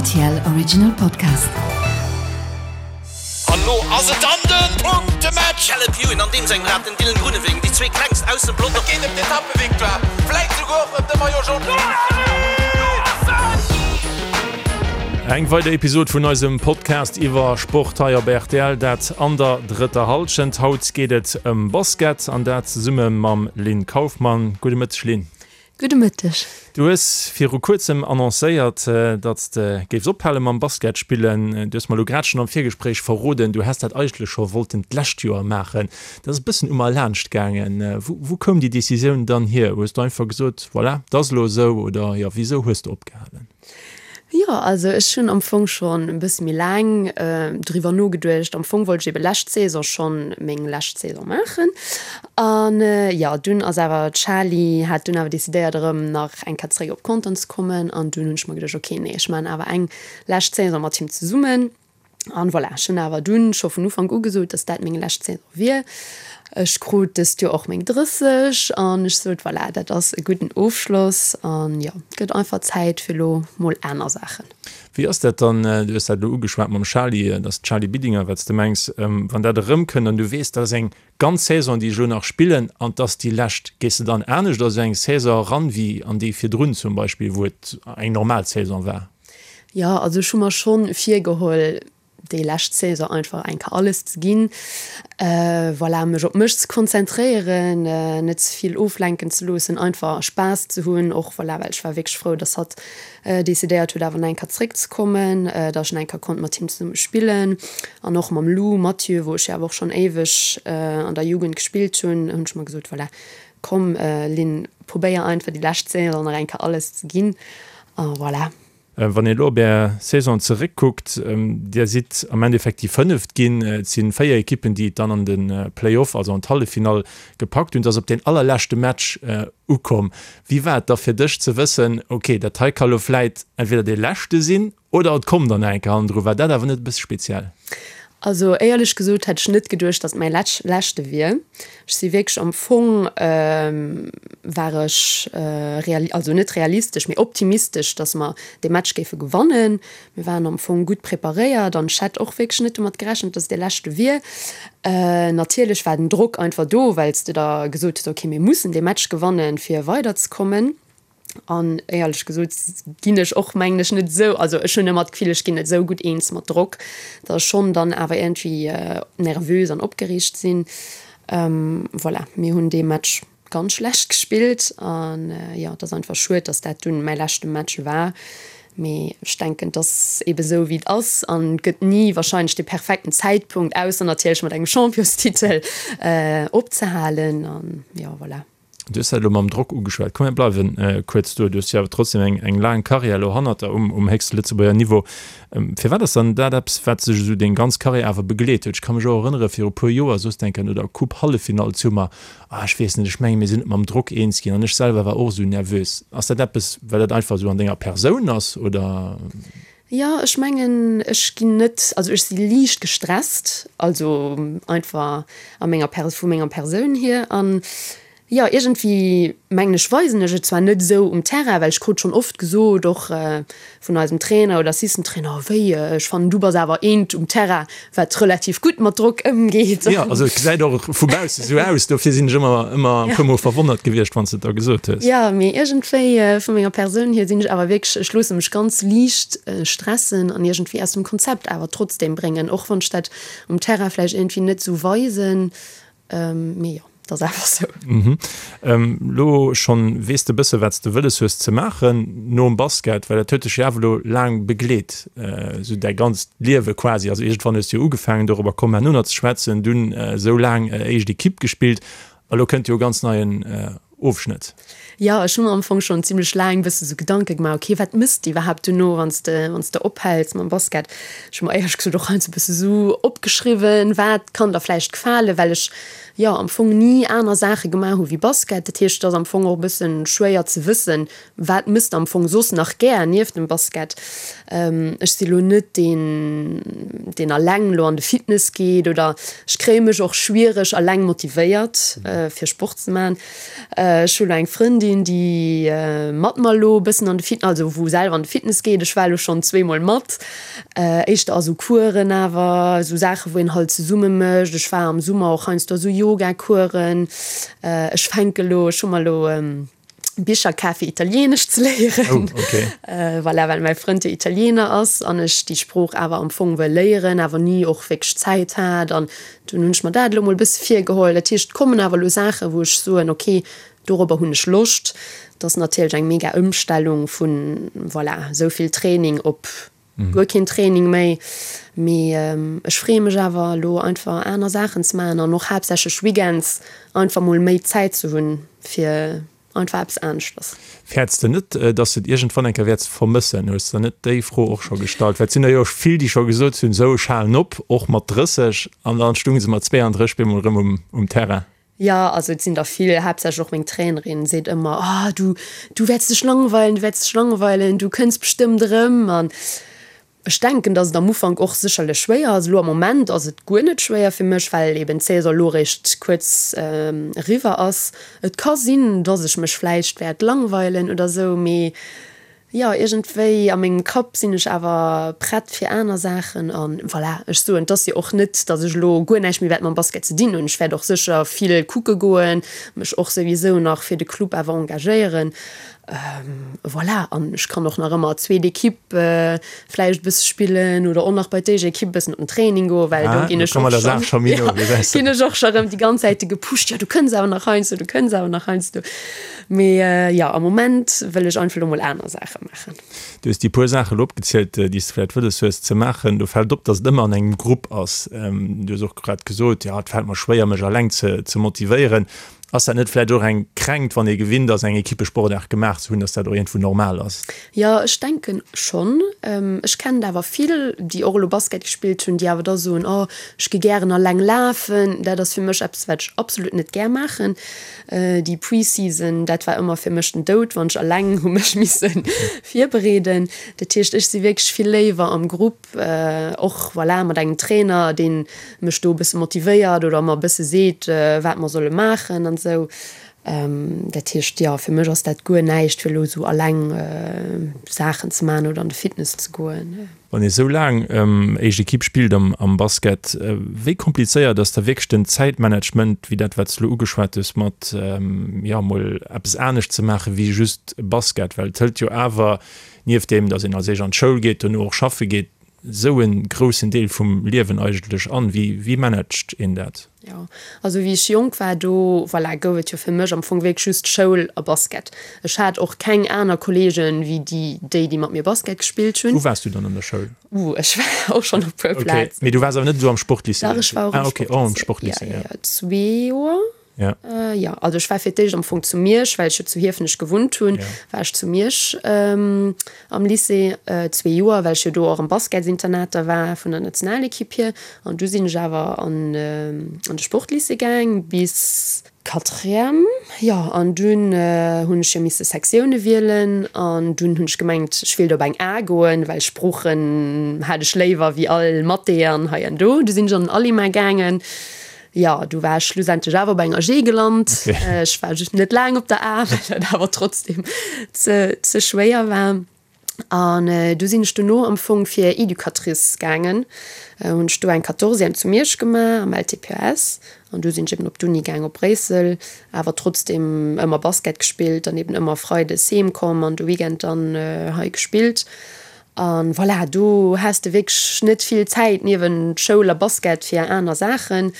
RTL Original Podcast. An lo ass et dann den Punktematch! Caleb Ewan an deem sengem Rad, den Dylan Groenewegen, déi zwee klengst aus dem Pelotong. Et geet ëm d'Etappevictoire, vläit souguer och ëm de Maillot Jaune. Eng weider Episod vun eisem Podcast iwwer Sport hei op rtl, dat an der drëtter Hallschent. Haut geet et ëm Basket an dat zesumme mam Lynn Kaufmann. Gudde Mëtteg Lynn. Gudde Mëtteg. Du hues viru kuerzem annoncéiert, datt s de géifs ophale mam Basket spillen. Du hues mer elo grad schonn am Virgespréich verroden, du häss dat eigentlech scho wollten d'lescht Joer maachen. Dat ass e bëssen u mer laanscht gaangen. Wou koum déi Decisioun dann hier? Hues du einfach gesot, voilà, 't ass elo esou oder jo, wisou hues de opgehalen? Jo, also ech hunn am Fong schonn e bësse méi laang driwwer nogeduecht. Am Fong wollt ech ebe lescht Saison schonn meng lescht Saison maachen. An jo, dunn ass awer d'Schali hat dunn awer decidéiert erëm nach eng Kéier zeréck op Contern ze kommen. An dunn hunn ech mer geduecht, ok, nee, ech maachen awer eng lescht Saison mat him zesummen. An voilà, ech hunn awer dunn scho vun Ufank u gesot, dass dat meng lescht Saison wier. Ech krut dëst Joer och meng 30 an ech sot, voilà, dat ass e gudden Ofschloss an jo, et gëtt einfach Zäit fir elo mol aner Saachen. Wéi ass dat dann, du hues dat elo ugeschwat mam Charly, dat ass d'Charly Bidinger, wat s de mengs, wann dat erëmkënnt an du weess, dat ass eng ganz Saison, déi ech elo nach spillen an 't ass déi lescht, gees de dann anescht a sou eng Saison eran, wéi an déi virdrun zum Beispill, wou et eng normal Saison war? Jo, also ech hu mer schonn virgeholl, déi lescht Saison einfach eng Kéier alles ze ginn. Voilà, mech op mech ze konzentréieren, net ze vill oflenken ze loossen, einfach Spaass ze hunn och. Voilà, well ech war wierklech frou, dass hatt decidéiert huet, awer nach eng Kéier zeréckzekommen, dass ech nach eng Kéier konnt mat him zesumme spillen. An och mam Lou Mathieu, wou ech jo awer och schonn éiweg an der Jugend gespillt hunn, hunn ech mer gesot, voilà, komm Lynn, probéier einfach déi lescht Saison nach eng Kéier alles ze ginn. A voilà. Wann een elo op Är Saison zeréckkuckt, Dir sidd am Endeffekt déi Fënneft ginn. Et si 4 Ekippen, déi et dann an de Play-off, also an d'Halleffinall gepackt hunn. Et ass op deen allerleschte Match ukomm. Wéi war et da fir dech ze wëssen, ok, dat hei ka lo vläit entweder dee leschte sinn Oder et komm dann nach eng Kéier hannendru. War dat awer net e bësse speziell? Also éierlech gesot hätt ech net geduecht, datt et mäi leschte wier. Ech si wierklech am Fong war ech reali-, also net realistesch, mee optimistesch, datt mer dee Match géife gewannen. Mir waren am Fong gutt preparéiert an ech hätt och wierklech net domat gerechent, datt et dee leschte wier. Natierlech war den Drock einfach do, well s de der gesot hues, okay mir mussen dee Match gewannen, fir weiderzekommen. An éierlech gesot ginn ech och, mengen ech, net esou, also ech hunn ëmmer d'Gefill, ech ginn net esou gutt eens mat Drock, datt ech schonn dann awer iergendwéi nervös an opgereegt sinn. Voilà, mir hunn dee Match ganz schlecht gespillt an jo, et ass einfach schued, datt dat dunn mäi leschte Match war. Mee ech denken, et ass eebe sou, wéi et ass an et gëtt ni warscheinlech de perfekten Zäitpunkt, ausser natierlech mat engem Championstitel, opzehalen an jo, voilà. Du hues dat elo mam Drock ugeschwat. Komm mir bleiwen kuerz do. Du hues jo awer trotzdem eng, eng laang Karriär elo hannert der um, um héchste Lëtzebuerger Niveau. Firwat ass dann dat eppes, wat sech esou deng ganz Karriär awer begleet huet? Ech ka mech och erënnere viru puer Joer, soss denk an no der Coupe-Halleffinall zu mer, Ah, ech weess net, ech menge mir sinn net mam Drock eens ginn an ech selwer war och esou nervös. Ass dat eppes, well dat einfach esou an denger Persoun ass oder? Jo, ech mengen, ech ginn net, also ech si liicht gestresst, also einfach a menger Per-, vu menger Persoun hier. An jo, iergendwéi mengen ech, weisen ech et zwar net esou um Terrain, well ech krut schonn oft gesot, och vun eisem Trainer oder Assistant Trainer, oh wéi, ech fannen du bass awer eent um Terrain, wat relativ gutt mat Drock ëmgeet. Jo, also et gesäit och vu bausse sou aus, dofir sinn ech ëmmer, ëmmer e puer mol verwonnert gewiescht, wann s de et da gesot hues. Jo, mee iergendwéi vu menger Persoun hier sinn ech awer wierklech, ech loosse mech ganz liicht stressen an iergendwéi aus dem Konzept awer trotzdem bréngen, och wann ech dat um Terrain vläicht iergendwéi net sou weisen. Mee jo, dat ass einfach sou. Elo schonn weess de bësse wat s de wëlles hues ze maachen nom Basket, well dat huet dech jo awer elo laang begleet, esou däi ganzt Liewe quasi. Also iergendwann hues de jo ugefaangen, dorobber komme mer herno nach ze schwätzen, dunn esou laang éischt Ekipp gespillt a lo kënnt jo e ganz neien Ofschnëtt. Jo, ech hu mer am Fong schonn zimlech laang bësse sou Gedanke gemaach, ok, wat mëss de iwwerhaapt duerno, wann s de, wann s de ophäls mam Basket? Ech hu mer éierlech gesot och heiansdo bësse sou opgeschriwwen, wat kann der vläicht gefalen, well ech, jo, am Fong ni aner Saache gemaach hu wéi Basket. Dat heescht, et ass am Fong och e bësse schwéier ze wëssen, wat mëss de am Fong soss nach gär nieft dem Basket. Ech si lo net deen, deen alleng lo an de Fitness geet oder ech kréie mech och schwiereg alleng motivéiert, fir Sport ze maachen. Ech hu lo eng Frëndin, déi mat mer elo e bëssen an de Fit, also wou selwer an de Fitness geet. Ech war elo schonn zweemol mat, éischter a sou Coursen awer, esou Saache wou een halt zesumme mécht. Ech war am Summer och heiansdo a sou Yoga-Coursen. Ech fänke lo, ech hu mer elo Bicher kaf fir Italienesch ze léieren. Oh, okay. Voilà, well mäi Frënd jo Italiener ass an ech déi Sprooch awer am Fong wëll léieren, awer ni och wierklech Zäit hat. An dunn hunn ech mer dat elo mol e bësse virgeholl. Dat heescht, et kommen awer elo Saachen, wou ech soen, okay, dorobber hunn ech Loscht. Dat ass natierlech eng mega Ëmstellung vun, voilà, esou vill Training op guer keen Training méi. Mee ech freeë mech awer elo einfach aner Saachen ze maachen an och haaptsächlech weekends einfach mol méi Zäit ze hunn fir einfach eppes aneschters. Fäerts de net, dass de et iergendwann eng Kéier wäerts vermëssen? Hues de der net déi Fro och scho gestallt? Well et sinn der jo vill, déi scho gesot hunn, esou ech halen op, och mat 30, an dann stounge se mat 32 bemol erëm um Terrain. Jo, also et sinn der vill, haaptsächlech och meng Trainerin seet ëmmer, oh du, du wäerts dech langweilen, du wäerts dech langweilen, du kënns bestëmmt erëm. An ech denken, datt et am Ufank och sécherlech schwéier ass. Elo am Moment ass et guer net schwéier fir mech, well eben d'Saison elo eréischt kuerz eriwwer ass. Et ka sinn, datt ech mech vläicht wäert langweilen oder sou, mee Jo, iergendwéi a mengem Kapp sinn ech awer prett fir aner Saachen. A voilà, ech soen, et ass jo och net, datt ech elo guer näischt méi wäert mam Basket ze dinn hunn. Ech wäert och sécher vill kucke goen, mech och souwisou nach fir de Club awer engagéieren. Voilà, an ech kann och nach ëmmer zweet Ekipp vläicht e bësse spillen oder och nach bei d'éischt Ekipp e bëssen op den Training goen, well do ginn ech och schonn, jo, ginn ech och scho rëm déi ganz Zäite gepusht, jo du kënns awer nach heiansdo, du kënns awer nach heiansdo. Mee jo, am Moment wëll ech einfach elo mol aner Saache maachen. Du hues déi puer Saache elo opgezielt, déi s de vläicht wëlles hues ze maachen. Do fält op, datt et ëmmer an engem Grupp ass. Du hues och grad gesot, jo, et fält mer schwéier, mech eleng ze motivéieren. Ass dat net vläicht och eng Kränkt, wann ee gewinnt ass, eng Equippesportaart gemaach ze hunn, datt dat och iergendwou normal ass? Jo, ech denken schonn. Ech kennen der awer vill, déi och elo Basket gespillt hunn, déi awer da soen, oh, ech gi gären eleng lafen. Dat ass fir mech eppes, wat ech absolut net gär maachen. Déi Pre-Season, dat war ëmmer fir mech den Doud, wann ech alleng hu mech misse virbereeden. Dat heescht, ech si wierklech vill léiwer am Grupp, och voilà mat engem Trainer, dee mech do e bësse motivéiert oder mer e bësse seet, wat mer solle maachen an esou. Dat heescht, jo, fir mech ass dat guer näischt, fir elo esou alleng Saachen ze maachen oder an de Fitness ze goen. Wann ee sou laang éischt Ekipp spillt am Basket, wéi komplizéiert ass da wierklech den Zäitmanagement, wéi dat wat s de elo ugeschwat hues, mat jo mol eppes anescht ze maache wéi just Basket? Well et hëlt jo awer, nieft deem datt een als éischt an d'Schoul geet, dono och schaffe geet, sou e groussen Deel vum Liewen eigentlech an. Wéi managt een dat? Jo, also wéi ech jonk war, do, voilà, gouf et jo fir mech am Fong wierklech just Schoul a Basket. Ech hat och keng aner Kolleegen wéi déi, déi, déi mat mir Basket gespillt hunn. Wou waars du dann an der Schoul? Uh, ech war och schonn op puer Plazen. Okay, mee du waars awer net esou am Sportlycée? Dach, ech war och am Ah, okay, och am Sportlycée, jo. Jo, jo, zwee Joer. Ja. Jo, also ech war fir d'éischt am Fong zu Miersch, well ech jo zu Hiefenech gewunnt hunn, war ech zu Miersch am Lycée zwee Joer, well ech jo do och am Basketsinternat da war vun der Nationalekipp hier. An du sinn ech awer an an de Sportlycée gaang bis Quatrième, jo. An dunn hunn ech jo misse Sektioune wielen an dunn hunn ech gemengt, ech wéilt op eng A goen, well Sproochen hat ech léiwer wéi all Mathé an hei an do. Du sinn ech an den Alima gaangen. Jo, du war ech schlussendlech awer op enger G gelant. Okay. Ech war just net laang op der A, well dat awer trotzdem ze, ze schwéier war. An äh, du sinn ech dono am Fong fir Educatrice gaangen. Äh, hunn ech do eng Quatorzième zu Miersch gemaach am LTPS. An du sinn ech eben op d'Uni gaang op Bréissel, awer trotzdem ëmmer Basket gespillt, dann eben ëmmer freides heem komm an de Weekend dann äh, hei gespillt. An voilà, do has de wierklech net vill Zäit niewent Schoul a Basket fir aner Saachen.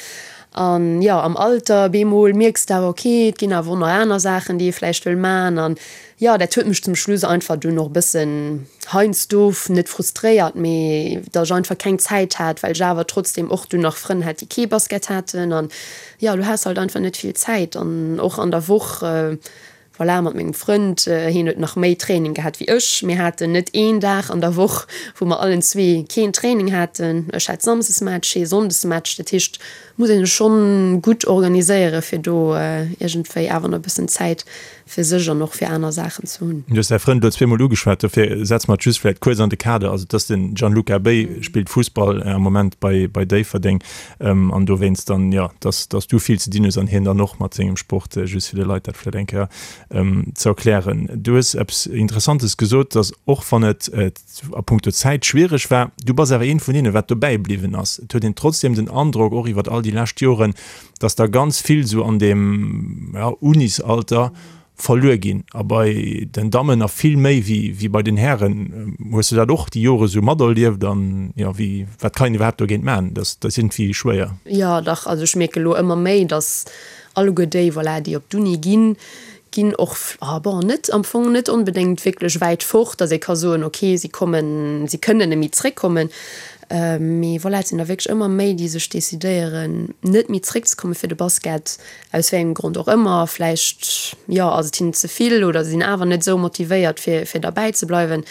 An jo, am Alter bemol mierks de awer, ok, et ginn awer och nach aner Saachen, déi ee vläicht wëll man. An jo, dat huet mech zum Schluss einfach dunn och e bëssen heiansdo net frustréiert, mee datt ech einfach keng Zäit hat, well ech awer trotzdem och dunn nach Frënn hat, déi kee Basket haten. An jo, du has halt einfach net vill Zäit an och an der Woch. Voilà, mat mengem Frënd, hien huet nach méi Training gehat wéi ech. Mir haten net een Dag an der Woch, wou mer allen zwee keen Training haten. Ech hat Samsdesmatch, hie Sonndesmatch. Dat heescht, muss een sech schonn gutt organiséiere fir do iergendwéi awer nach e bëssen Zäit fir sech an och fir aner Saachen ze hunn. Du hues däi Frënd elo zweemol ugeschwat, dofir setze mer et just vläicht kuerz an de Kader. Also et ass den Gianluca Bey, spillt Fussball am Moment bei bei Déifferdeng an dowéinst dann, jo, dass dass du vill ze dinn hues an hien dann och mat sengem Sport, just fir de Leit dat vläicht eng Kéier ze erklären. Du hues eppes Interessantes gesot, dass och wann et a puncto Zäit schwiereg war, du bass awer eent vun deene wat dobäi bliwwen ass. Et huet een trotzdem den Androck, och iwwert all déi lescht Joren, dass der ganz vill esou an deem, ja, Unisalter verluer ginn a bei den Dammen nach vill méi wéi wéi bei den Hären. Hues du dat och déi Jore esou materlieft an, jo, wéi, wat kann een iwwerhaapt dogéint maachen? Dat ass iergendwéi schwéier. Jo, dach, also ech mierke lo ëmmer méi, dass alleguer déi, voilà, déi op d'Uni ginn, ginn och, ah bon, net am Fong net onbedéngt wierklech wäit fort, datt ee ka soen, okay, si kommen, si kënnen net méi zréckkommen. Mee voilà, et sinn der wierklech ëmmer méi, déi sech decidéieren, net méi zréckzekomme fir de Basket, aus wéi engem Grond och ëmmer. Vläicht, jo, ass et hinnen ze vill oder se sinn awer net esou motivéiert, fir, fir derbäi ze bleiwen.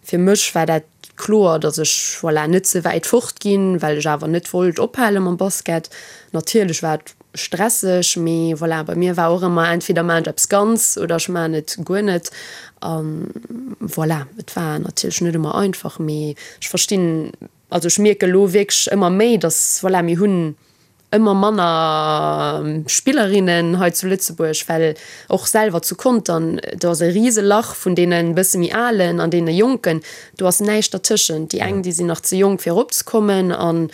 Fir mech war dat kloer, datt ech, voilà, net ze wäit fort ginn, well ech awer net wollt ophale mam Basket. Natierlech war et stresseg, mee voilà, bei mir war och ëmmer entweder maan ech eppes ganz oder ech maan et guer net. An voilà, et war natierlech net ëmmer einfach, mee ech verstinn, also ech mierke lo wierklech ëmmer méi, dass voilà, mir hunn ëmmer manner Spillerinnen hei zu Lëtzebuerg, well och selwer zu Contern, do ass e Riselach vun deene bësse méi Alen an deene Jonken, do ass näischt dertëschent. Déi eng, déi sinn nach ze jonk fir eropzekommen an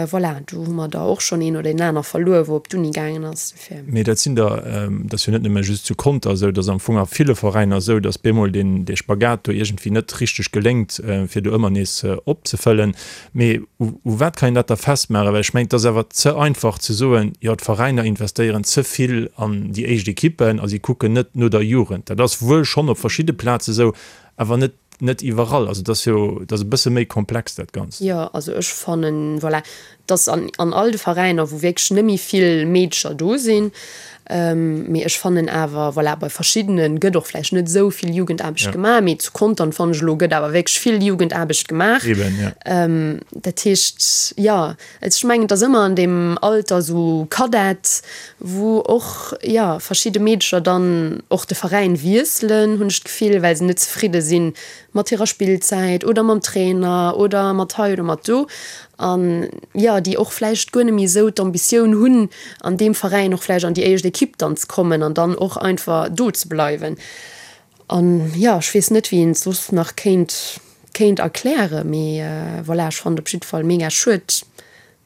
Voilà, do hu mer der och schonn een oder een aner verluer, wou op d'Uni gaangen ass. Dofir. Mee dat sinn der, dat ass jo net nëmme just zu Conter esou, dat ass am Fong a ville Veräiner esou, datt bemol deen, dee Spagat do iergendwéi net richteg geléngt, fir do ëmmer nees opzefëllen. Mee u u wat kann een dat da festmaachen? Well ech mengen, et ass awer ze einfach ze soen, jo d'Veräiner investéieren ze vill an déi éischt Ekippen a si kucken net no der Jugend. Dat ass wuel schonn op verschidde Plaze esou, awer net Net iwwerall, also et ass jo, et ass e bësse méi komplex dat Ganzt. Jo, also ech fannen, voilà, dass an, an all de Veräiner, wou wierklech net méi vill Meedecher do sinn, mee ech fannen awer, voilà, bei verschiddene gëtt och vläicht net esou vill Jugendaarbecht gemaach, mee zu Contern fannen ech elo gëtt awer wierklech vill Jugendaarbecht gemaach. Eben, ja. Dat heescht, jo, Ech mengen, et ass ëmmer an deem Alter esou Kadett, wou och, jo, verschidde Meedecher dann och de Veräin wiesselen, hunn ech d'Gefill, well se net zefridde si mat hirer Spillzäit oder mam Trainer oder mat hei oder mat do. An, jo, déi och vläicht guer net méi esou d'Ambitioun hunn, an deem Veräin och vläicht an déi éischt Ekipp dann ze kommen an dann och einfach do ze bleiwen. An jo, ech weess net, wéi een et soss nach kéint, kéint erklären, mee voilà, ech fannen et op jidde Fall mega schued,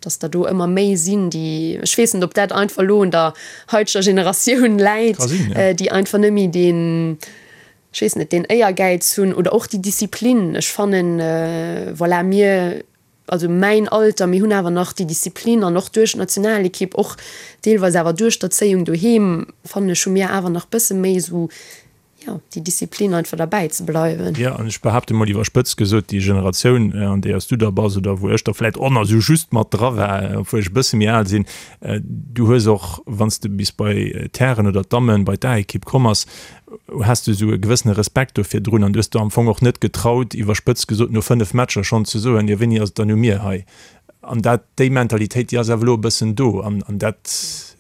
dass der do ëmmer méi sinn, déi, ech weess net, ob dat einfach elo un der haiteger Generatioun läit, déi einfach net méi deen, ech weess net, deen Éiergäiz hunn oder och déi Disziplin. Ech fannen, voilà, mir, also mäin Alter, mir hunn awer nach déi Disziplin an och duerch d'Nationalekipp, och deelweis awer duerch d'Erzéiung doheem, fannen ech, hu mir awer nach bësse méi esou, jo, déi Disziplin einfach derbäi ze bleiwen. Jo, an ech behaapte mol iwwerspëtzt gesot, déi Generatioun, an deeër s du da bass oder wou ech da vläit och nach esou just mat dra war, obwuel ech e bësse méi al sinn, du hues och, wann s de bis bei d'Hären oder d'Dammen, bei d'A-Ekipp komm ass, Has de esou e gewëssene Respekt do virdrun an du hues der am Fong och net getraut, iwwerspëtzt gesot, no 5 Matcher schonn ze soen, jo wéini ass et dann u mir hei? An dat, déi Mentalitéit, déi ass awer elo e bëssen do an dat,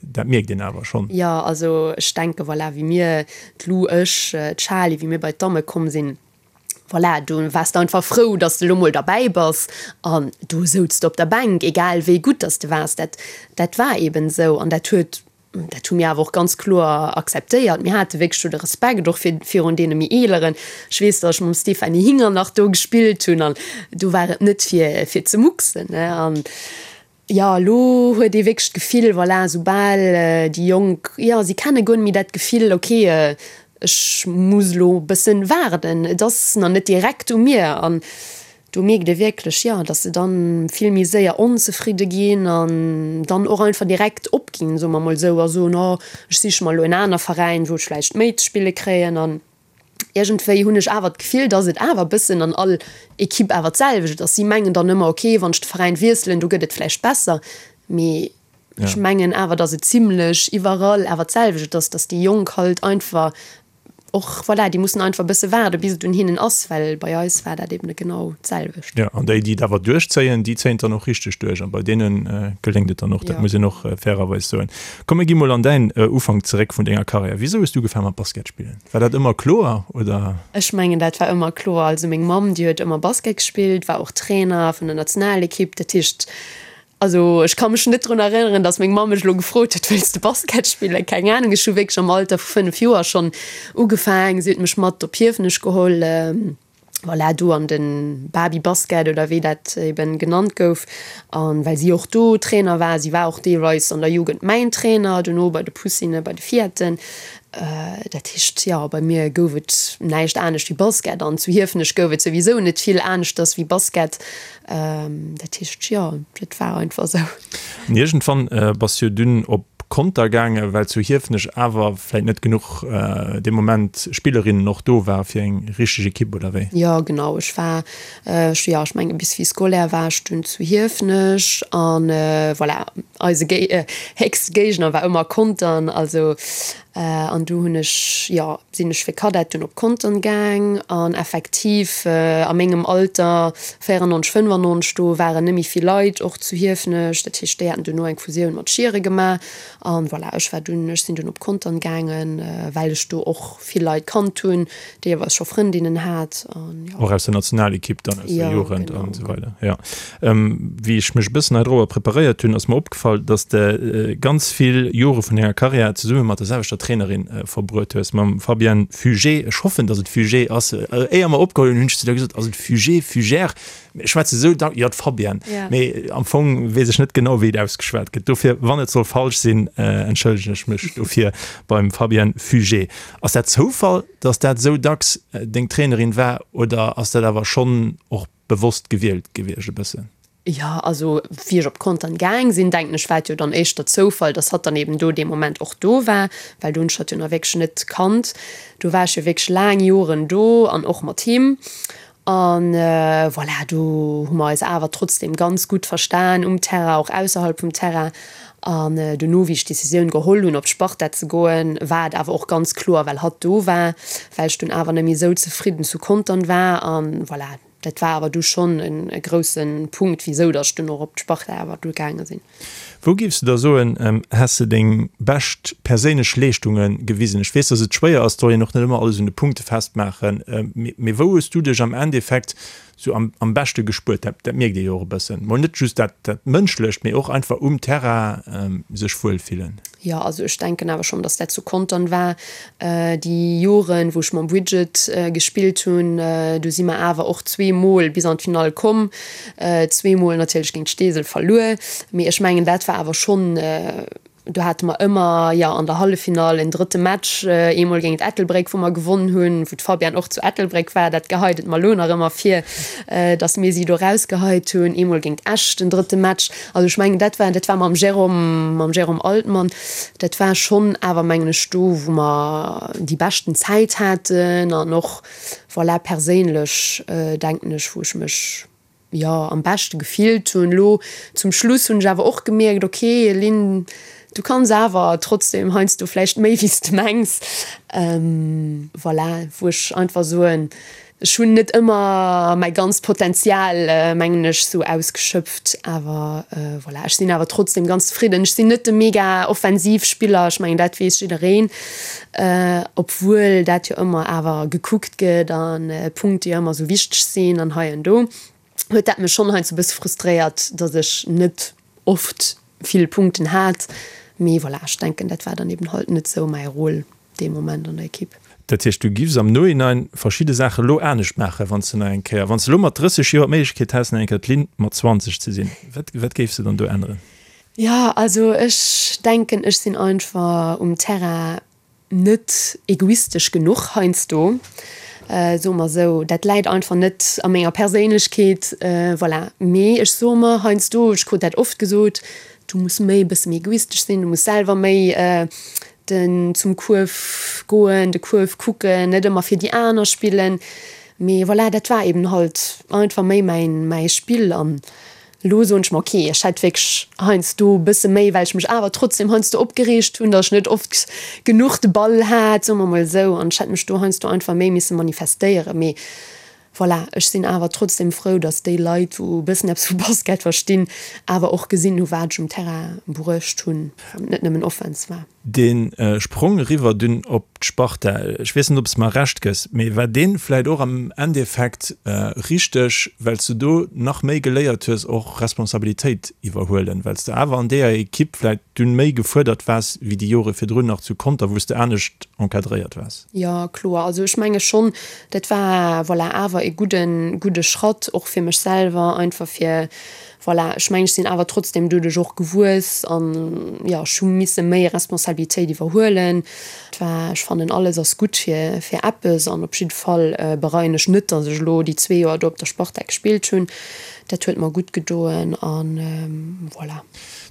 dat mierkt een awer schonn. Jo, also ech denke voilà, wéi mir, d'Lou, ech, d'Charly, wéi mir bei d'Damme komm sinn, voilà, do waars de einfach frou, datt s de elo mol derbäi bass an do souz de op der Bänk, egal wéi gutt datt s de waars. Dat, dat war eeben esou an dat huet Dat hu mir awer och ganz kloer akzeptéiert. Mir hate wierklech do de Respekt och fir virun deene méi Eeleren. Ech weess, datt ech mam Stéphanie Hinger nach do gespillt hunn an do war et net fir fir ze mucksen, ne. An jo, elo huet ee wierklech d'Gefill, voilà, soubal déi Jonk, jo, si kenne guer net méi dat Gefill, okay, ech muss elo e bëssen waarden, et ass nach net direkt u mir. An Do mierkt ee wierklech, jo, dass se dann vill méi séier onzefridde ginn an dann och einfach direkt opginn, soe mer mol esou, a soen, oh, ech siche mer elo en aner Veräin, wou ech vläicht méi ze spille kréien. An iergendwéi hunn ech awer d'Gefill, dass et awer e bëssen an all Ekipp awer d'selwecht ass. Si mengen dann ëmmer, okay, wann ech de Veräin wiesselen, do gëtt et vläicht besser. Mee ech mengen awer, dass et zimlech iwwerall awer d'selwecht ass, dass déi Jonk halt einfach. Och voilà, déi mussen einfach e bësse waarde bis et un hinnen ass, well bei eis war dat eben genau d'selwecht. Jo, an déi, déi et awer duerchzéien, déi zéien et dann och richteg duerch an bei deene geléngt et dann och, dat muss een och fairerweis soen. Komm mir gi mol an däin Ufank zeréck vun denger Karriär. Wisou hues du ugefaange mat Basket spillen? War dat ëmmer kloer oder? Ech mengen dat war ëmmer kloer. Also meng Mamm, déi huet ëmmer Basket gespillt, war och Trainer vun der Nationalekipp, dat heescht, Also ech ka mech net drun erënneren, datt meng Mamm mech elo gefrot huet, wëlls de Basket spillen? Keng Anung. Ech hu wierklech am Alter vu 5 Joer schonn ugefaang. Si huet mech mat op Hiefenech geholl, voilà, do an de Baby-Basket oder wéi dat eben genannt gouf. An well si och do Trainer war, si war och deelweis an der Jugend mäin Trainer, dono bei de Poussinen, bei de Filletten. Dat heescht, jo, bei mir gouf et näischt anescht wéi Basket. An zu Hiefenech gouf et souwisou net vill aneschters wéi Basket. Dat heescht, jo, dat war einfach esou. An iergendwann bass jo dunn op Conter gaangen, well zu Hiefenech awer vläit net genuch dee Moment Spillerinnen och do ware fir eng richteg Ekipp, oder wéi? Jo, genau. Ech war, jo, ech menge bis vie scolaire war ech dunn zu Hiefenech an voilà, eise héchste Géigner war ëmmer Contern. Also An du hunn ech, jo, sinn ech fir Kadett dunn op Contern gaang. An effektiv a mengem Alter, 94, 95, do waren net méi vill Leit och zu Hiefenech. Dat heescht, déi haten duerno eng Fusioun mat Schieren gemaach. An voilà, ech war dunn, ech sinn dunn op Contern gaangen, well ech do och vill Leit kannt hunn, deelweis scho Frëndinnen hat. An jo. Och aus der Nationalekipp dann, aus der Jugend an esou weider, jo. Wéi ech mech e bëssen hei dorobber preparéiert hunn, ass mer opgefall, dass de ganz vill Jore vun denger Karriär zesumme mat der selwechter Trainerin verbruet hues, mam Fabienne Fugé. Ech hoffen, dass et Fugé ass. Éier mer opgeholl hunn, hunn ech zu der gesot, Ass et Fugé, Fugère? Ech schwätze sou dack, jo, d'Fabienne. Mee am Fong weess ech net genau, wéi et ausgeschwat gëtt. Dofir, wann et soll falsch sinn, entschëllegen ech mech dofir beim Fabienne Fugé. Ass dat Zoufall, dass dat sou dacks deng Trainerin war oder ass dat awer schonn och bewosst gewielt gewiescht e bëssen? Jo, also wéi ech op Contern gaang sinn, denken ech, war et jo dann éischter Zoufall, dass hatt dann eben do dee Moment och do war, well do hunn ech hatt jo nach wierklech net kannt. Do war ech jo wierklech laang Joren do an och mat him. An voilà, do hu mer eis awer trotzdem ganz gutt verstan um Terrain, och ausserhalb vum Terrain. An dono, wéi ech d'Decisioun geholl hunn, op d'Sparta ze goen, war et awer och ganz kloer, well hatt do war, well ech dunn awer net méi esou zefridden zu Contern war. An voilà, dat war awer du schonn e grousse Punkt, wisou datt ech dunn och op d'Sparta awer du gaange sinn. Wou géifs de da soen, häss de deng bescht perséinlech Leeschtunge gewisen? Ech weess, datt et schwéier ass, et soll een och net ëmmer alles un de Punkte festmaachen, mee wou hues du dech am Endeffekt sou am am beschte gespuert? Dat dat mierkt ee jo och e bëssen. Mol net just dat dat Mënschlecht, mee och einfach um Terrain sech wuel fillen. Jo, also ech denken awer schonn, datt dat zu Contern war. Déi Joren, wou ech mam Bridget gespillt hunn, do si mer awer och zweemol bis an d'Finall komm. Zweemol natierlech géint Steesel verluer, mee ech mengen, dat war awer schonn, Do hate mer ëmmer, jo, an der Halleffinall en drëtte Match, eemol géint Ettelbréck, wou mer gewonn hunn, wou d'Fabienne och zu Ettelbréck war. Dat geheit et mer elo nach ëmmer vir, datt mir si do erausgeheit hunn. Eemol géint Esch den drëtte Match. Also ech mengen, dat war, dat war mam Jérôme, mam Jérôme Altmann, dat war schonn awer, mengen ech, do, wou mer déi beschten Zäit haten an och, voilà, perséinlech, denken ech, wou ech mech, jo, am beschte gefillt hunn. Elo zum Schluss hunn ech awer och gemierkt, ok Lynn, du kanns awer trotzdem heiansdo vläicht méi wéi s de mengs. Voilà, wou ech einfach soen, ech hunn net ëmmer mäi ganzt Potenzial, mengen ech, sou ausgeschöpft, awer voilà, ech sinn awer trotzdem ganz zefridden. Ech sinn net de mega Offensivspiller, ech mengen dat weess jiddereen, obwuel dat jo ëmmer awer gekuckt gëtt an Punkte jo ëmmer sou wichteg sinn an hei an do, huet dat mech schonn heiansdo e bësse frustréiert, datt ech net oft vill Punkten hat. Mee voilà, ech denken, dat war dann eben halt net sou mäi Rôle dee Moment an der Ekipp. Dat heescht, du giffs am Nohinein verschidde Saache lo anescht maachen, wann s de nach eng Kéier, wann s de lo mat 30 Joer d'Méiglechkeet häss, nach eng Kéier d'Linn mat 20 ze sinn, wat, wat géifs de dann do änneren? Jo, also ech denken, ech sinn einfach um Terrain net egoistesch genuch heiansdo, soe mer esou. Dat läit einfach net a menger Perséinlechkeet, voilà. Mee ech soe mer heiansdo, ech krut dat oft gesot, du muss méi e bësse méi egoistesch sinn, du muss selwer méi den zum Kuerf goen, de Kuerf kucken, net ëmmer fir déi aner spillen. Mee voilà, dat war eben halt einfach méi mäin, mäi Spill an. Elo soen ech mer, ok, ech hätt wierklech heiansdo e bësse méi, well ech mech awer trotzdem heiansdo opgereegt hunn, datt ech net oft genuch de Ball hat, soe mer mol esou, an ech hätt mech do heiansdo einfach méi misse manifestéieren. Mee voilà, ech sinn awer trotzdem frou, datt déi Leit, wou e bëssen eppes vu Basket verstinn, awer och gesinn hu wat ech um Terrain bruecht hunn, wann et net nëmmen Offense war. Dee Sprong eriwwer dunn op d'Sparta, ech weess net, ob s de mer Recht gëss, mee war dee vläit och am Endeffekt richteg, well s de do nach méi geléiert hues, och Responsabilitéit iwwerhuelen, well s de awer an deeër Ekipp vläit dunn méi gefuerdert waars wéi déi Jore virdrun nach zu Conter, wou s de anescht encadréiert waars? Jo, kloer. Also ech menge schonn, dat war, voilà, awer e gudden, gudde Schratt och fir mech selwer, einfach fir Voilà, ech mengen, ech sinn awer trotzdem doduerch och gewuess an, jo, ech hu misse méi Responsabilitéit iwwerhuelen. Et war, ech fannen, alles ass gutt fir, fir eppes an op jidde Fall bereien ech net, datt ech elo déi zwee Joer do op der Sparta gespillt hunn. Dat huet mer gutt gedoen an voilà.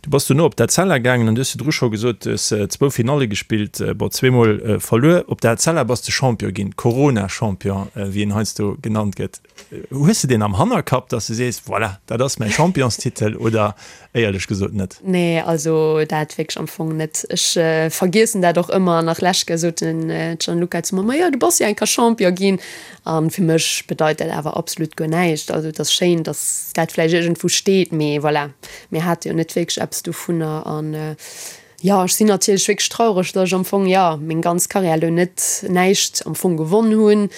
Du bass dono op d'Etzella gaangen an du hues virdru scho gesot, du hues zwou Finalle gespillt, bon, zweemol verluer. Op der Etzella bass de Champion ginn, Corona-Champion, wéi en heiansdo genannt gëtt. Hues de deen am Hannerkapp, dass de sees, voilà, dat ass mäi Championstitel oder éierlech gesot net? Nee, also dat wierklech am Fong net. Ech vergiessen dat och ëmmer. Nach lescht Kéier sot den Gianluca zu mer, Majo, du bass jo eng Kéier Champion ginn. A fir mech bedeit dat awer absolut guer näischt. Also et ass schéin, dass dat vläicht iergendwou steet, mee voilà, mir hate jo net wierklech eppes dovunner. An Jo, ech sinn natierlech wierklech traureg, datt ech am Fong, jo, meng ganz Karriär elo net näischt am Fong gewonn hunn,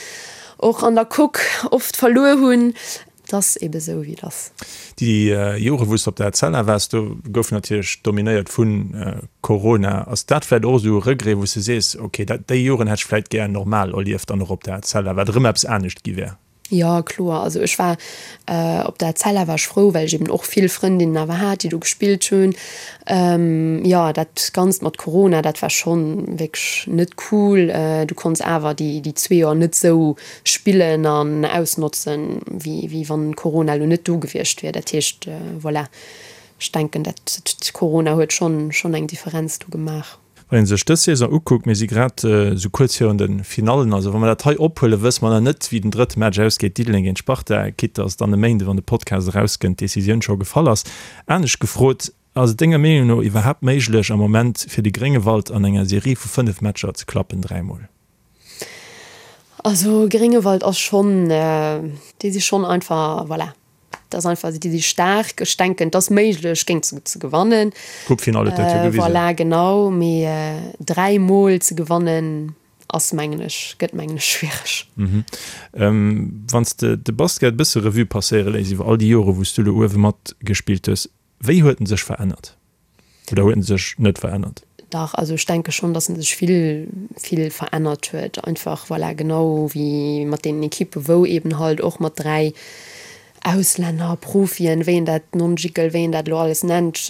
och an der Coque oft verluer hunn. Et ass ebe sou, wéi et ass. Déi Jore wou s de op der Etzella waars, do gouf natierlech dominéiert vu Corona. Ass dat vläicht och esou e Regret, wou s de sees, ok, dat, déi Joren hätt ech vläicht gär normal erlieft an och op der Etzella, wat erëm eppes anescht gi wär? Jo, kloer. Also ech war op der Etzella war ech frou, well ech eben och vill Frëndinnen awer hat, déi do gespillt hunn. Jo, dat Ganzt mat Corona, dat war schonn wierklech net cool. Du konns awer déi déi zwee Joer net esou spillen an ausnotzen, wéi wéi wann Corona elo net do gewiescht wier. Dat heescht, voilà, ech denken, dat Corona huet schonn schonn eng Differenz do gemaach. Wann ee sech dës Saison ukuckt, mir si grad esou kuerz virun de Finallen, also wa mer dat hei ophuelen, wësse mer nach net, wéi den drëtte Match ausgeet, Diddeleng géint Sparta, quitte dass dann e Méinde, wann de Podcast erauskënnt, d'Decisioun scho gefall ass. Anescht gefrot, Ass et denger Meenung no iwwerhaapt méiglech am Moment fir de Gréngewald an enger Serie vu 5 Matcher ze klappen, dräimol? Also Gréngewald ass schonn, déi si schonn einfach, voilà, Dat ass einfach, déi si staark. Ech denken, et ass méiglech, géint se ze gewannen. D'Coupefinall huet dat jo gewisen. Voilà, genau. Mee dräimol ze gewannen, ass, mengen ech, gëtt, mengen ech, schwiereg. Wann s de de Basket e bësse Revue passéiere léiss iwwer all déi Jore wou s du elo uewe matgespillt hues, wéi huet en sech verännert? Oder huet en sech net verännert? Dach, also ech denke schonn, datt en sech vill, vill verännert huet. Einfach, voilà, genau wéi mat deenen Ekippe wou eeben halt och mat 3 Auslänner, Profien, wéi een dat, Non-Jickel, wéi een dat elo alles nennt,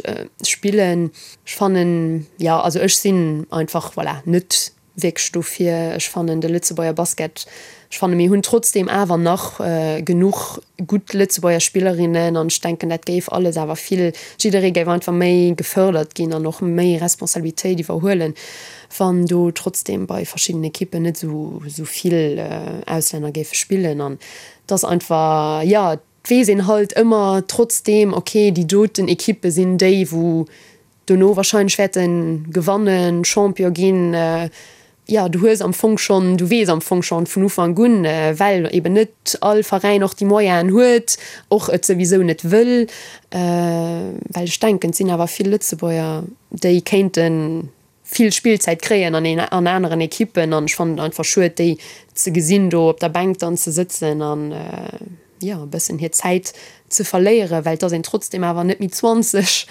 spillen. Ech fannen, jo, also ech sinn einfach, voilà, net wierklech dofir. Ech fannen de Lëtzebuerger Basket, ech fanne mir hunn trotzdeem awer nach genuch gutt Lëtzebuerger Spillerinnen an ech denken dat géif alles awer vill, jidderee géif einfach méi gefërdert ginn an och méi Responsabilitéit iwwerhuelen, wann do trotzdeem bei verschiddenen Ekippen net esou esou vill Auslänner géife spillen an et ass einfach, jo et weess een halt ëmmer trotzdeem, ok déi doten Ekippe sinn déi wou dono wahrscheinlech wäerte gewannen, Champion ginn, jo, du hues am Fong schonn, du weess am Fong schonn vun Ufank un, well eben net all Veräin och déi Moyenen huet, och et souwisou net wëll, well ech denken, et sinn awer vill Lëtzebuerger, déi kéinte vill Spillzäit kréien an an aneren Ekippen an ech fannen et einfach schued, déi ze gesinn do op der Bänk dann ze sëtzen an. jo, e bëssen hir Zäit ze verléieren, well et ass een trotzdem awer net méi 20.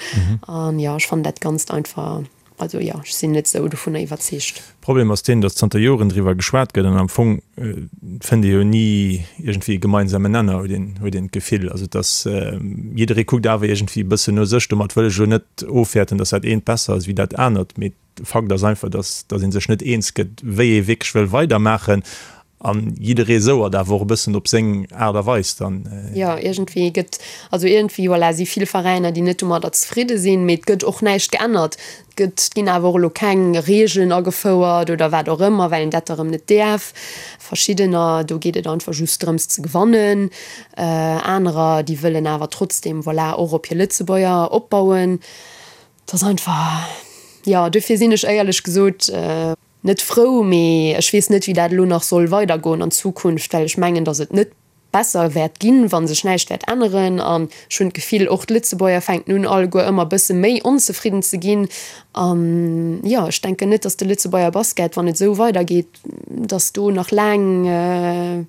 An jo, ech fannen dat Ganzt einfach, also jo, ech sinn net esou dovunner iwwerzeegt. Problem ass deen, datt zanter Joren driwwer geschwat gëtt an am Fong fënnt ee jo ni iergendwéi e gemeinsamen Nenner, huet een, huet een d'Gefill. Also et ass, jidderee kuckt awer iergendwéi e bëssen no sech. Domat wëll ech elo net ofwäerten, datt dat eent besser ass wéi dat anert, mee de Fakt ass einfach, datt, datt ee sech net eens gëtt, wéi ee wierklech wëll weidermaachen. An jidderee souert awer och e bëssen op seng Aart a Weis dann. Jo, iergendwéi gëtt, also iergendwéi, voilà, si vill Veräiner, déi net domadder zefridde sinn, mee et gëtt och näischt geännert. Et gëtt, et ginn awer och elo keng Regeln agefouert oder wat och ëmmer, well een dat da rëm net däerf. Verschiddener, do geet et einfach just drëms ze gewannen. Anerer, déi wëllen awer trotzdem, voilà, och op hir Lëtzebuerger opbauen. Et ass einfach, jo, dofir sinn ech éierlech gesot, Net frou, mee ech weess net, wéi dat elo nach soll weidergoen an Zukunft, well ech mengen, datt et net besser wäert ginn, wa sech näischt wäert änneren. An ech hunn d'Gefill, och d'Lëtzebuerger fänken un, alleguer ëmmer e bësse méi onzefridden ze ginn. An jo, ech denken net, datt de Lëtzebuerger Basket, wann et esou weidergeet, datt do nach laang,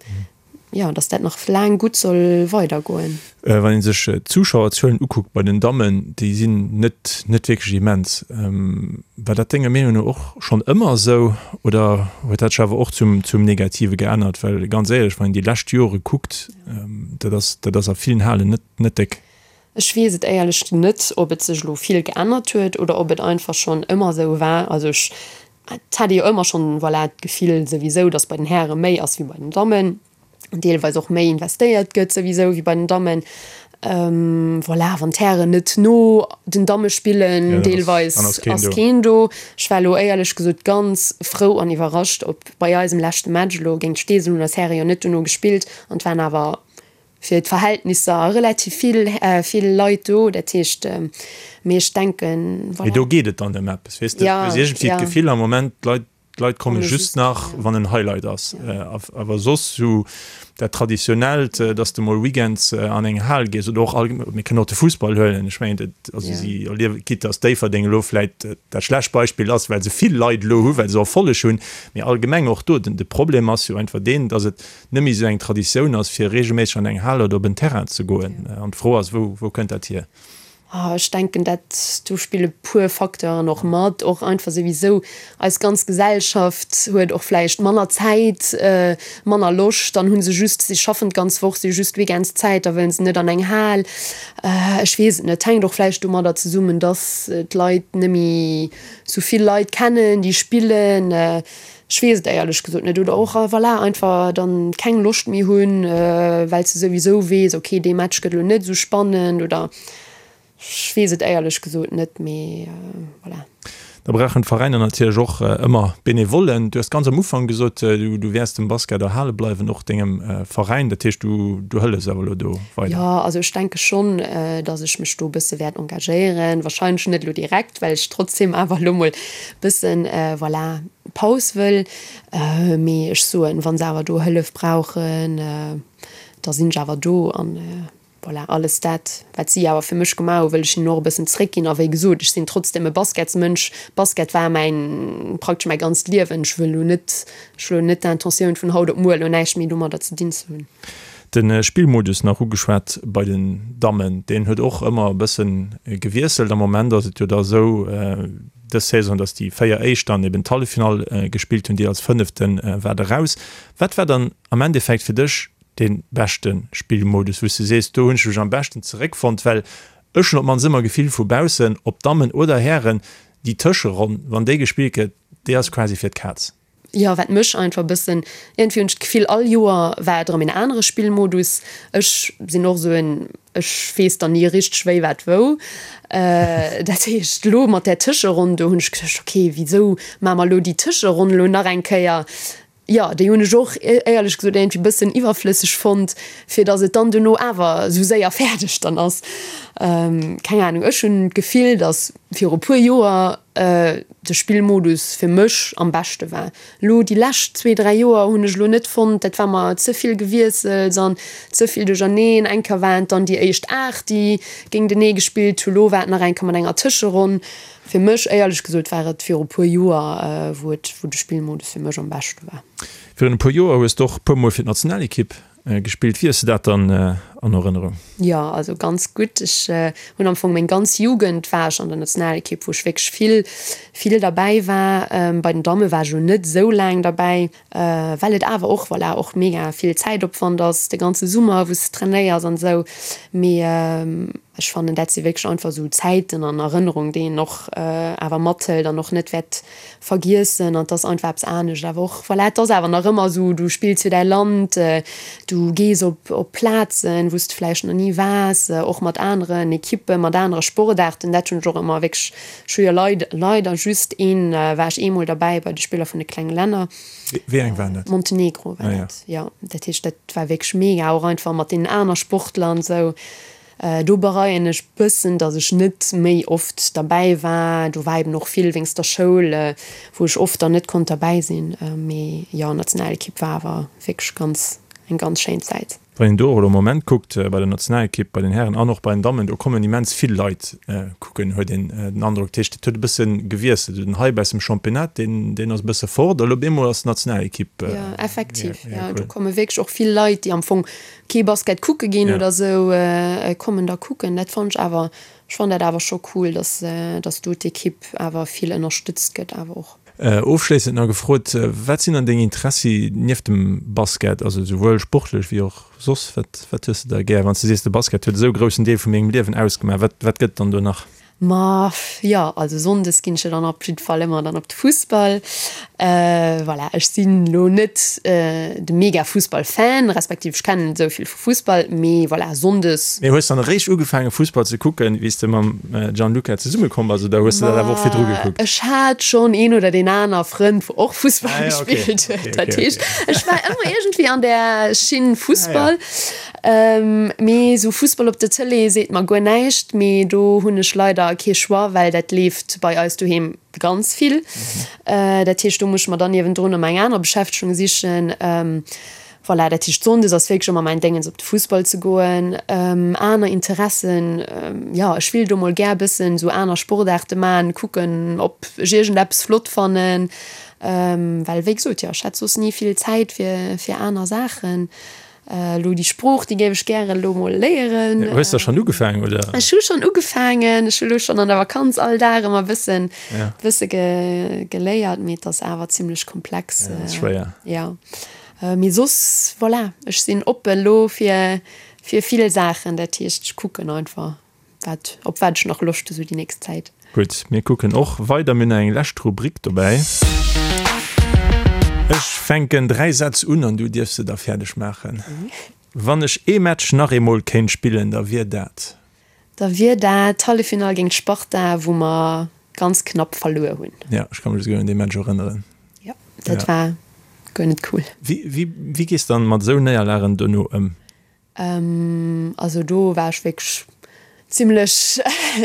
jo, dass dat nach laang gutt soll weidergoen. Wann ee sech d'Zuschauerzuelen ukuckt bei den Dammen, déi sinn net net wierklech immens. War dat denger Meenung no och schonn ëmmer esou oder huet dat sech awer och zum zum Negative geännert? Well ganz éierlech, wann een déi lescht Jore kuckt, dat ass dat ass a villen Halen net net déck. Ech weess et éierlech net, ob et sech elo vill geännert huet oder ob et einfach schonn ëmmer esou war. Also ech Et hat ee jo ëmmer schonn, voilà, d'Gefill souwisou, datt bei den Häre méi ass wéi bei den Dammen, deelweis och méi investéiert gëtt souwisou wéi bei den Dammen. Voilà, wann d'Hären net no den Damme spillen, deelweis ass keen do. Ech war elo éierlech gesot ganz frou an iwwerrascht, ob bei eisem leschte Match elo géint Steesel hunn eis Häre jo net dono gespillt an et waren awer fir d'Verhältnisser relativ vill, vill Leit do, dat heescht, mee ech denken, voilà. Mee do geet et dann ëm eppes, weess de, du hues iergendwéi d'Gefill am Moment, d'Leit, d'Leit komme just nach, wann en Highlight ass. Awer soss sou dat Traditionellt, dass de mol weekends an eng Hal gees oder och allgemeng, mir kënnen och de Fussball huelen, ech mengen, dat, also si erliewen, quitte dass Déifferdeng elo vläit dat schlecht Beispill ass, well se vill Leit elo hu, well se Erfolleg hunn, mee allgemeng och do, den, de Problem ass jo einfach deen, dass et net méi esou eng Traditioun ass, fir reegelméisseg an eng Hal oder op en Terrain ze goen. An d'Fro ass, wou, wou kënnt dat hier? Ech denken, dat do spille puer Facteuren och mat. Och einfach souwisou eis ganz Gesellschaft huet och vläicht manner Zäit, manner Loscht. Dann hu se just, si schaffen d'ganz Woch, si hu just weekends Zäit, da wëllen se net an eng Hal. Ech weess et net. Hänkt och vläicht domadder zesummen, dass d'Leit net méi esou vill Leit kennen, déi spillen. Ech weess et éierlech gesot net. Oder och, voilà, einfach dann keng Loscht méi hunn, well s de souwisou weess, ok, dee Match gëtt elo net esou spannend oder ech weess et éierlech gesot net, mee voilà. Da brauchen d'Veräiner natierlech och ëmmer Benevollen. Du hues ganz am Ufank gesot, du wäers dem Basket erhale bleiwen, och dengem Veräin. Dat heescht, du hëllefs awer elo do weider? Jo, also ech denke schonn, datt ech mech do e bësse wäert engagéieren. Warscheinlech net elo direkt, well ech trotzdem awer elo mol bëssen, voilà, Paus wëll, mee ech soen, wa se awer do Hëllef brauchen, da sinn ech awer do an voilà, alles dat, wat si awer fir mech gemaach hu wëll ech hinnen och e bëssen zréckginn. A wéi gesot, ech sinn trotzdem e Basketsmënsch, Basket war mäin, praktesch mäi ganzt Liewen. Ech wëll elo net, ech hu elo net d'Intentioun vun haut op muer elo näischt méi domadder ze dinn ze hunn. De Spillmodus nach ugeschwat bei den Dammen, deen huet och ëmmer e bësse gewiesselt. Am Moment ass et jo da esou, dës Saison, dass déi 4 éischt dann eben d'Halleffinall gespillt hunn, déi als fënnefte war eraus. Wat war dann am Endeffekt fir dech dee beschte Spillmodus, wou s de sees, do hunn ech mech am beschten zeréckfonnt? Well ech hunn op d'mannst ëmmer Gefill vu baussen, ob Dammen oder Hären, déi Tëscheronn, wann déi gespillt gëtt, déi ass quasi fir d'Kaz. Jo, wat mech einfach e bëssen, iergendwéi hunn ech d'Gefill, all Joer war et erëm een anere Spillmodus. Ech sinn och esou en, ech weess dann ni richteg wéi, wat, wou. Dat heescht, elo mat där Tëscheronn do hunn ech geduecht, ok, wisou maache mer elo déi Tëscheronn elo nach eng Kéier? Jo, déi hunn ech och éierlech gesot iergendwéi e bëssen iwwerflësseg fonnt, fir datt et dann duerno awer esou séier fäerdeg dann ass. Keng Anung, ech hunn d'Gefill, datt viru puer Joer de Spillmodus fir mech am beschte war. Lo déi lescht zwee, dräi Joer hunn ech lo net fonnt, dat war mer ze vill Gewiessels an ze vill duercherneen. Eng Kéier waren et dann déi éischt 8, déi géintenee gespillt hu, lo war et nach eng Kéier mat enger Tëscheronn. Fir mech, éierlech gesot, war et viru puer Joer, wou et, wou de Spillmodus fir mech am beschte war. Virun e puer Joer hues de och e puer Mol fir d'Nationalekipp Gespillt. Wéi hues de dat dann an Erënnerung? Jo, also ganz gutt. Ech hunn am Fong meng ganz Jugend war ech an der Nationalekipp, wou ech wierklech vill, vill derbäi war. Bei den Damme war ech elo net esou laang derbäi, well et awer och, voilà, och mega vill Zäitopwand ass, de ganze Summer, wou s de trainéiers an esou. Mee. Ech fannen, dat si wierklech einfach esou Zäiten an Erënnerungen, déi een och awer mathëlt an och net wäert vergiessen. An et ass einfach eppes anescht awer och, voilà, et ass awer nach ëmmer esou, du spills fir däi Land, du gees op op Plazen, wou s de vläicht nach ni waars, och mat aneren Ekippen, mat anere Sportaarten. Dat hunn ech och ëmmer wierklech, ech hu jo leid leider just een, war ech eemol derbäi bei de Spiller vun de klenge Länner. Wéi eng waren dat? Montenegro war dat, jo. Dat heescht, dat war wierklech mega, och einfach mat deenen aner Sportler an esou. Do bereien ech bëssen, datt ech net méi oft derbäi war. Do war eben och vill wéinst der Schoul, wou ech oft dann net konnt derbäi sinn. Mee jo, Nationalekipp war awer wierklech ganz, eng ganz schéin Zäit. Wann een do och elo am Moment kuckt, bei der Nationalekipp, bei den Hären an och bei den Dammen, do kommen immens vill Leit kucken, huet een den Androck. Dat heescht, et huet e bësse gewiesselt. Den Hype aus dem Championnat, deen, deen ass e bësse fort a lo op eemol ass d'Nationalekipp. Jo, effektiv, jo, do komme wierklech och vill Leit, déi am Fong kee Basket kucke ginn oder esou, kommen da kucken. Dat fannen ech awer, ech fannen dat awer scho cool, dass, dass do d'Ekipp awer vill ënnerstëtzt gëtt awer och. Ofschléissend nach gefrot, Wat sinn dann deng Interessi nieft dem Basket, also esouwuel sportlech wéi och soss? Wat wat hues de da gär? Wann s de sees, de Basket huet esou e groussen Deel vu mengem Liewen ausgemaach, wat wat gëtt et dann do nach? Ma jo, also sonndes ginn ech jo dann op jidde Fall ëmmer dann op de Fussball. Voilà, ech sinn elo net de mega Fussball-Fan, respektiv ech kennen net esou vill vu Fussball, mee voilà, sonndes. Mee hues dann eréischt ugefaange Fussball ze kucken, wéi s de mam Gianluca zesumme komm bass, oder hues de dat awer och virdru gekuckt? Ech hat schonn een oder deen aner Frënd, wou och Fussball gespillt huet. Dat heescht, ech war ëmmer iergendwéi an där Schinn Fussball. Mee esou Fussball op der Tëlee seet mer guer näischt. Mee do hunn ech leider kee Choix, well dat leeft bei eis doheem ganz vill. Dat heescht, do muss ech mer dann niewendrun ëmmer eng aner Beschäftegung sichen. Voilà, dat heescht Sonndes ass wierklech ëmmer mäin Déngens op de Fussball ze goen. Aner Interessen, jo ech willt o mol gär bëssen esou aner Sportaarte man, kucken op ech iergendeppes flott fannen, well wéi gesot, jo ech hätt soss ni vill Zäit fir fir aner Saachen. Elo déi Sprooch, déi géif ech gären elo mol léieren. Hues der schonn ugefaangen, oder? Ech hu schonn ugefaangen, ech hu lo schonn an der Vakanz all Dag ëmmer bëssen bësse geléiert, mee et ass awer zimlech komplex. Ja, ass schwéier. Jo. Mee soss, voilà, ech sinn oppe lo fir fir vill Saachen. Dat heescht, ech kucken einfach, wat, op wat ech nach Loscht hu sou déi nächst Zäit. Gutt, mir kucken och weider. Mir hunn nach eng lescht Rubrik dobäi. Ech fänken 3 Sätz un an du dierfs se da fäerdeg maachen. Wann ech ee Match nach eemol kéint spillen, da wier dat. Da wier dat d'Halleffinall géint d'Sparta, wou mer ganz knapp verluer hunn. Jo, ech ka mech esouguer un dee Match erënneren. Jo, dat war guer net cool. Wéi, wéi gees dann mat esou Néierlagen dono ëm? Also do war ech wierklech zimlech,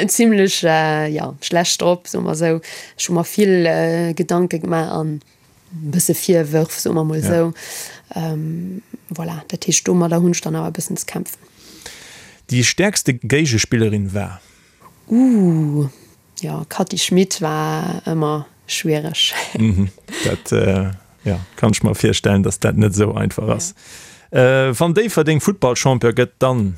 zimlech, jo, schlecht drop, soe mer esou. Ech hu mer vill Gedanke gemaach an e bësse Virwërf, soe mer mol esou. Voilà, dat heescht domadder hunn ech dann awer e bëssen ze kämpfen. Déi stäerkste Géigespillerin war? Ooh, jo, Cathy Schmit war ëmmer schwiereg. Dat, jo, kann ech mer virstellen, datt dat net esou einfach ass. Wann Déifferdeng Futtballchampion gëtt, dann?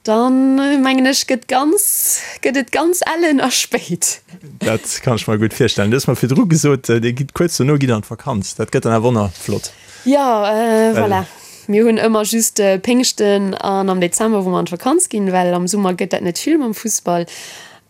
Dann mengen ech gëtt ganz, gëtt et ganz ellen a spéit. Dat kann ech mer gutt virstellen. Du hues mer virdru gesot, Dir gitt kuerz dono gitt an d'Vakanz. Dat gëtt dann awer och nach flott. Jo, voilà. Mir hunn ëmmer just Péngschten an am Dezember, wou mer an d'Vakanz ginn, well am Summer gëtt dat net vill mam Fussball.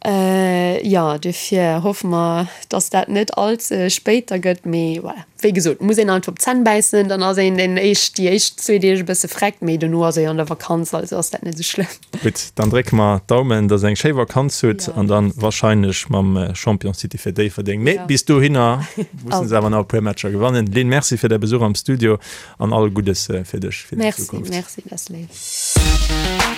Jo, dofir hoffe mer, dass dat net all ze spéit da gëtt. Mee voilà, wéi gesot, muss een einfach op d'Zänn bäissen, dann ass een den éischt, déi éischt zwee Deeg e bësse vreckt, mee dono ass ee jo an der Vakanz, also ass dat net esou schlëmm. Gutt, dann drécke mer d'Daumen, dass der eng schéi Vakanz hutt an dann wahrscheinlech mam Championstitel fir Déifferdeng. Mee bis dohinner mussen se awer nach e puer Matcher gewannen. Lynn, Merci fir däi Besuch am Studio an all Guddes fir dech fir déi Zukunft. Merci, merci, dat ass léif.